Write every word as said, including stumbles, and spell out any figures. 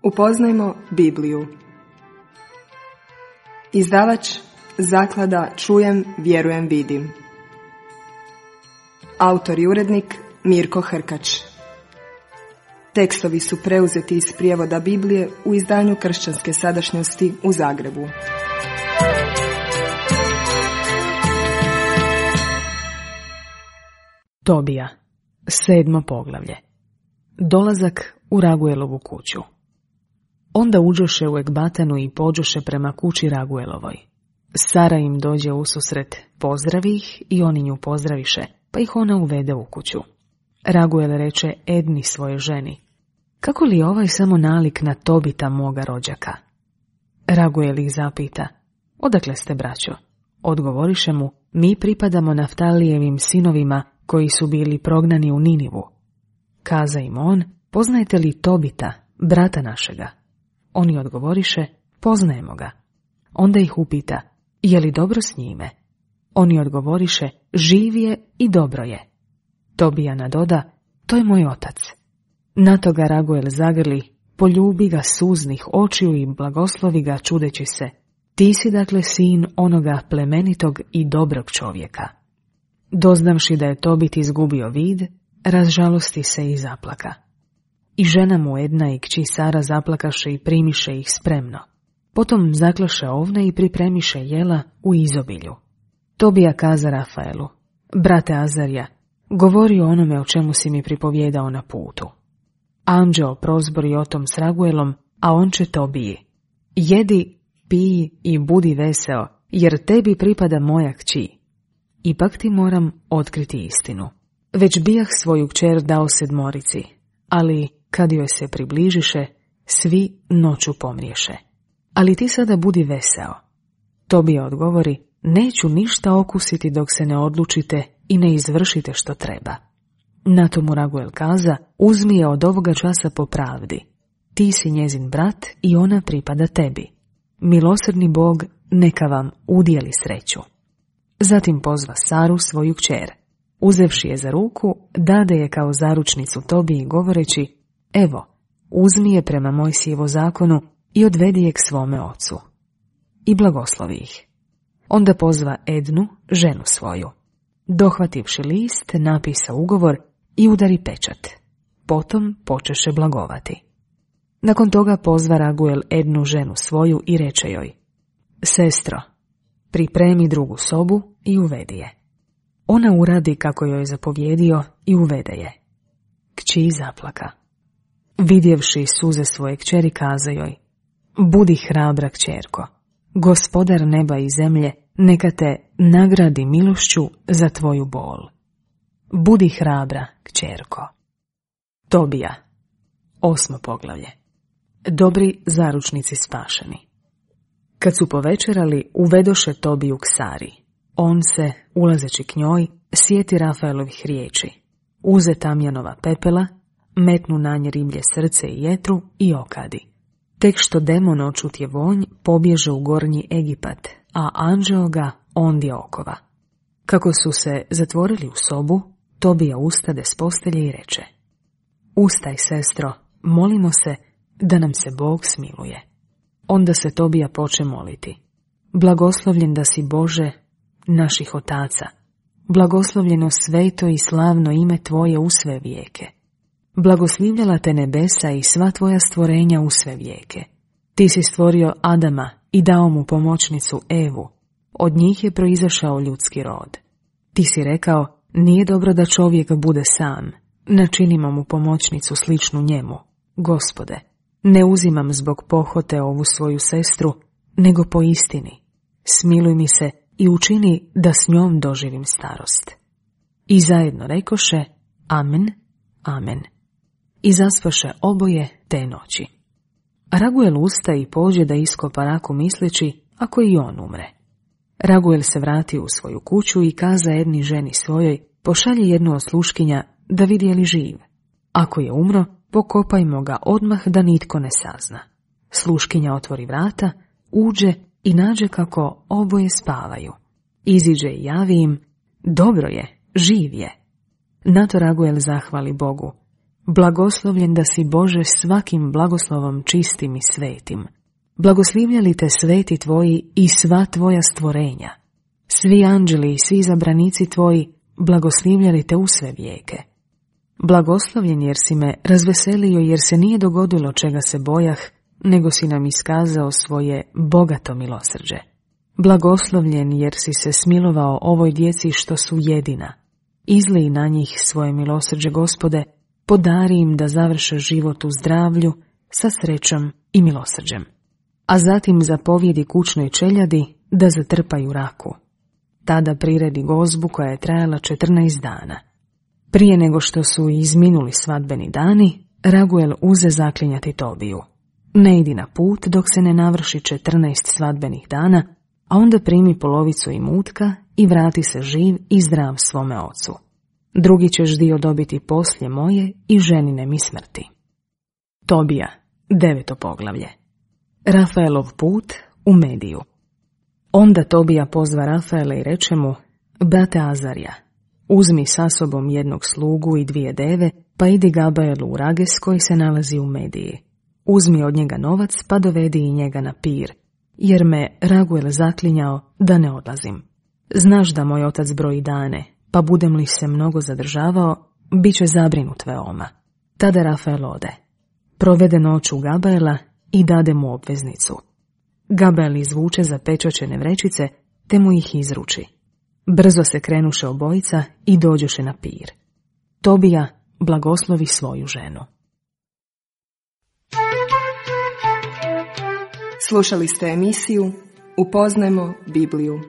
Upoznajmo Bibliju. Izdavač Zaklada Čujem, vjerujem, vidim. Autor i urednik Mirko Hrkač. Tekstovi su preuzeti iz prijevoda Biblije u izdanju Kršćanske sadašnjosti u Zagrebu. Tobija, sedmo poglavlje. Dolazak u Raguelovu kuću. Onda uđoše u Ekbatanu i pođoše prema kući Raguelovoj. Sara im dođe ususret, pozdravi ih i oni nju pozdraviše, pa ih ona uvede u kuću. Raguel reče Edni svoje ženi: kako li ovaj samo nalik na Tobita moga rođaka? Raguel ih zapita: odakle ste, braćo? Odgovoriše mu: mi pripadamo Naftalijevim sinovima koji su bili prognani u Ninivu. Kaza im on: poznajete li Tobita, brata našega? Oni odgovoriše: poznajemo ga. Onda ih upita: je li dobro s njime? Oni odgovoriše: živ je i dobro je. Tobija nadoda: to je moj otac. Na to ga Raguel zagrli, poljubi ga suznih očiju i blagoslovi ga čudeći se: ti si dakle sin onoga plemenitog i dobrog čovjeka. Doznavši da je Tobit izgubio vid, razžalosti se i zaplaka. I žena mu Edna i kći Sara zaplakaše i primiše ih spremno. Potom zaklaše ovne i pripremiše jela u izobilju. Tobija kaza Rafaelu: brate Azarija, govori o onome o čemu si mi pripovjedao na putu. Anđeo prozbori o tom s Raguelom, a on će Tobiji: jedi, piji i budi veseo, jer tebi pripada moja kći. Ipak ti moram otkriti istinu. Već bijah svoju kćer dao sedmorici, ali kad joj se približiše, svi noću pomriješe. Ali ti sada budi veseo. Tobija odgovori: neću ništa okusiti dok se ne odlučite i ne izvršite što treba. Na to mu Raguel kaza: uzmi je od ovoga časa po pravdi. Ti si njezin brat i ona pripada tebi. Milosrdni Bog neka vam udijeli sreću. Zatim pozva Saru, svoju kćer. Uzevši je za ruku, dade je kao zaručnicu Tobiji govoreći: evo, uzmi je prema Mojsijevu zakonu i odvedi je k svome ocu. I blagoslovi ih. Onda pozva Ednu, ženu svoju. Dohvativši list, napisa ugovor i udari pečat. Potom počeše blagovati. Nakon toga pozva Raguel Ednu, ženu svoju, i reče joj: sestro, pripremi drugu sobu i uvedi je. Ona uradi kako joj je zapovjedio i uvede je. Kći zaplaka. Vidjevši suze svoje kćeri, kaza joj: budi hrabra, kćerko, gospodar neba i zemlje neka te nagradi milošću za tvoju bol. Budi hrabra, kćerko. Tobija, osmo poglavlje. Dobri zaručnici spašeni. Kad su povečerali, uvedoše Tobiju k Sari. On se, ulazeći k njoj, sjeti Rafaelovih riječi: uze tamjanova pepela, metnu na nje riblje srce i jetru i okadi. Tek što demon očutje vonj, pobježe u gornji Egipat, a anđeo ga ondje okova. Kako su se zatvorili u sobu, Tobija ustade s postelje i reče: ustaj, sestro, molimo se da nam se Bog smiluje. Onda se Tobija poče moliti: blagoslovljen da si, Bože naših otaca, blagoslovljeno sveto i slavno ime tvoje u sve vijeke. Blagoslivljala te nebesa i sva tvoja stvorenja u sve vijeke. Ti si stvorio Adama i dao mu pomoćnicu Evu. Od njih je proizašao ljudski rod. Ti si rekao: nije dobro da čovjek bude sam. Načinimo mu pomoćnicu sličnu njemu. Gospode, ne uzimam zbog pohote ovu svoju sestru, nego po istini. Smiluj mi se i učini da s njom doživim starost. I zajedno rekoše: amen, amen. I zaspaše oboje te noći. Raguel usta i pođe da iskopa raku, misleći ako i on umre. Raguel se vrati u svoju kuću i kaza Edni, ženi svojoj: pošalji jednu od sluškinja da vidi je li živ. Ako je umro, pokopajmo ga odmah da nitko ne sazna. Sluškinja otvori vrata, uđe i nađe kako oboje spavaju. Iziđe i javi im: dobro je, živ je. Na to Raguel zahvali Bogu: Blagoslovljen da si Bože svakim blagoslovom čistim i svetim. Blagoslivljali te sveti tvoji i sva tvoja stvorenja. Svi anđeli i svi zabranici tvoji blagoslivljali te u sve vijeke. Blagoslovljen jer si me razveselio, jer se nije dogodilo čega se bojah, nego si nam iskazao svoje bogato milosrđe. Blagoslovljen jer si se smilovao ovoj djeci što su jedina. Izlij na njih svoje milosrđe, Gospode, podari im da završe život u zdravlju, sa srećom i milosrđem. A zatim zapovjedi kućnoj čeljadi da zatrpaju raku. Tada priredi gozbu koja je trajala četrnaest dana. Prije nego što su izminuli svadbeni dani, Raguel uze zaklinjati Tobiju. Ne idi na put dok se ne navrši četrnaest svadbenih dana, a onda primi polovicu imutka i vrati se živ i zdrav svome ocu. Drugi ćeš dio dobiti poslije moje i ženine mi smrti. Tobija, deveto poglavlje. Rafaelov put u Mediju. Onda Tobija pozva Rafaela i reče mu: brate Azarija, uzmi sa sobom jednog slugu i dvije deve, pa idi Gabaelu u Rages koji se nalazi u Mediji. Uzmi od njega novac, pa dovedi i njega na pir, jer me Raguel zaklinjao da ne odlazim. Znaš da moj otac broji dane, pa budem li se mnogo zadržavao, bit će zabrinut veoma. Tada Rafael ode. Provede noć u Gabaela i dade mu obveznicu. Gabael izvuče zapečaćene vrećice, te mu ih izruči. Brzo se krenuše obojica i dođoše na pir. Tobija blagoslovi svoju ženu. Slušali ste emisiju Upoznajmo Bibliju.